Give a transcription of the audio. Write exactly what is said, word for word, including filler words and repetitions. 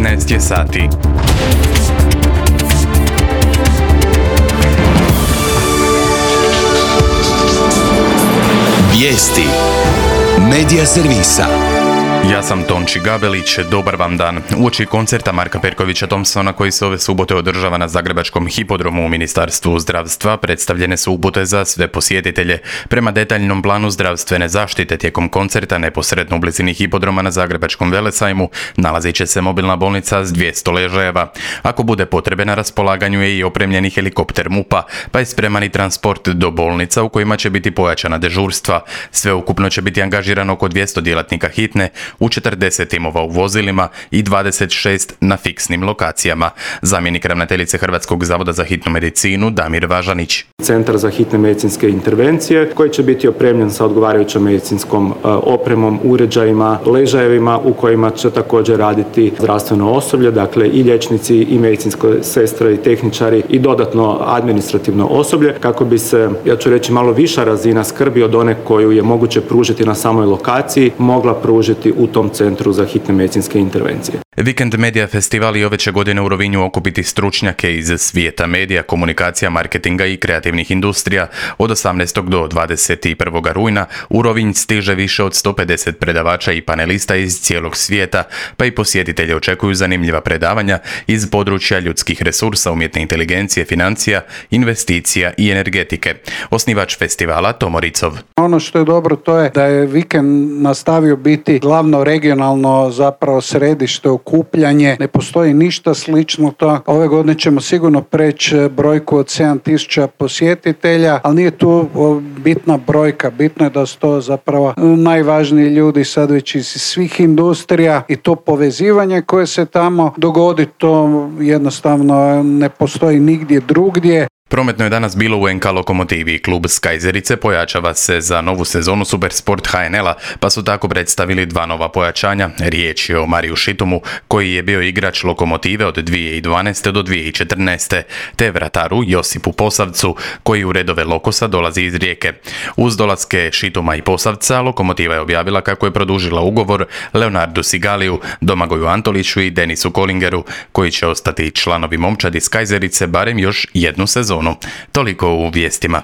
trinaest je sati. Vijesti Medija servisa. Ja sam Tonči Gabelić, dobar vam dan. Uoči koncerta Marka Perkovića Thompsona koji se ove subote održava na Zagrebačkom hipodromu u Ministarstvu zdravstva predstavljene su upute za sve posjetitelje. Prema detaljnom planu zdravstvene zaštite tijekom koncerta neposredno u blizini hipodroma na Zagrebačkom velesajmu nalazit će se mobilna bolnica s dvjesto ležajeva. Ako bude potrebe na raspolaganju je i opremljeni helikopter MUP-a, pa je spreman i transport do bolnica u kojima će biti pojačana dežurstva. Sveukupno će biti angažirano oko dvjesto djelatnika hitne u četrdeset timova u vozilima i dvadeset šest na fiksnim lokacijama. Zamjenik ravnateljice Hrvatskog zavoda za hitnu medicinu Damir Važanić. Centar za hitne medicinske intervencije koji će biti opremljen sa odgovarajućom medicinskom opremom, uređajima, ležajevima u kojima će također raditi zdravstveno osoblje, dakle i liječnici i medicinske sestre i tehničari i dodatno administrativno osoblje kako bi se, ja ću reći, malo viša razina skrbi od one koju je moguće pružiti na samoj lokaciji mogla pružiti u tom centru za hitne medicinske intervencije. Vikend Medija festival i ove će godine u Rovinju okupiti stručnjake iz svijeta medija, komunikacija, marketinga i kreativnih industrija. Od osamnaestog do dvadeset prvog rujna u Rovinj stiže više od sto pedeset predavača i panelista iz cijelog svijeta, pa i posjetitelje očekuju zanimljiva predavanja iz područja ljudskih resursa, umjetne inteligencije, financija, investicija i energetike. Osnivač festivala Tomo Ricov. Ono što je dobro to je da je vikend nastavio biti glavno regionalno zapravo središte okupljanje. Ne postoji ništa slično to. Ove godine ćemo sigurno preći brojku od sedam tisuća posjetitelja, ali nije tu bitna brojka. Bitno je da su to zapravo najvažniji ljudi sad već iz svih industrija i to povezivanje koje se tamo dogodi, to jednostavno ne postoji nigdje drugdje. Prometno je danas bilo u en ka Lokomotivi. Klub Skajzerice pojačava se za novu sezonu Supersport ha en el-a, pa su tako predstavili dva nova pojačanja. Riječ je o Mariju Šitumu, koji je bio igrač Lokomotive od dvije tisuće dvanaeste do dvije tisuće četrnaeste, te vrataru Josipu Posavcu, koji u redove Lokosa dolazi iz Rijeke. Uz dolaske Šituma i Posavca, Lokomotiva je objavila kako je produžila ugovor Leonardu Sigaliju, Domagoju Antoliću i Denisu Kolingeru, koji će ostati članovi momčadi Skajzerice barem još jednu sezonu. Toliko u vijestima.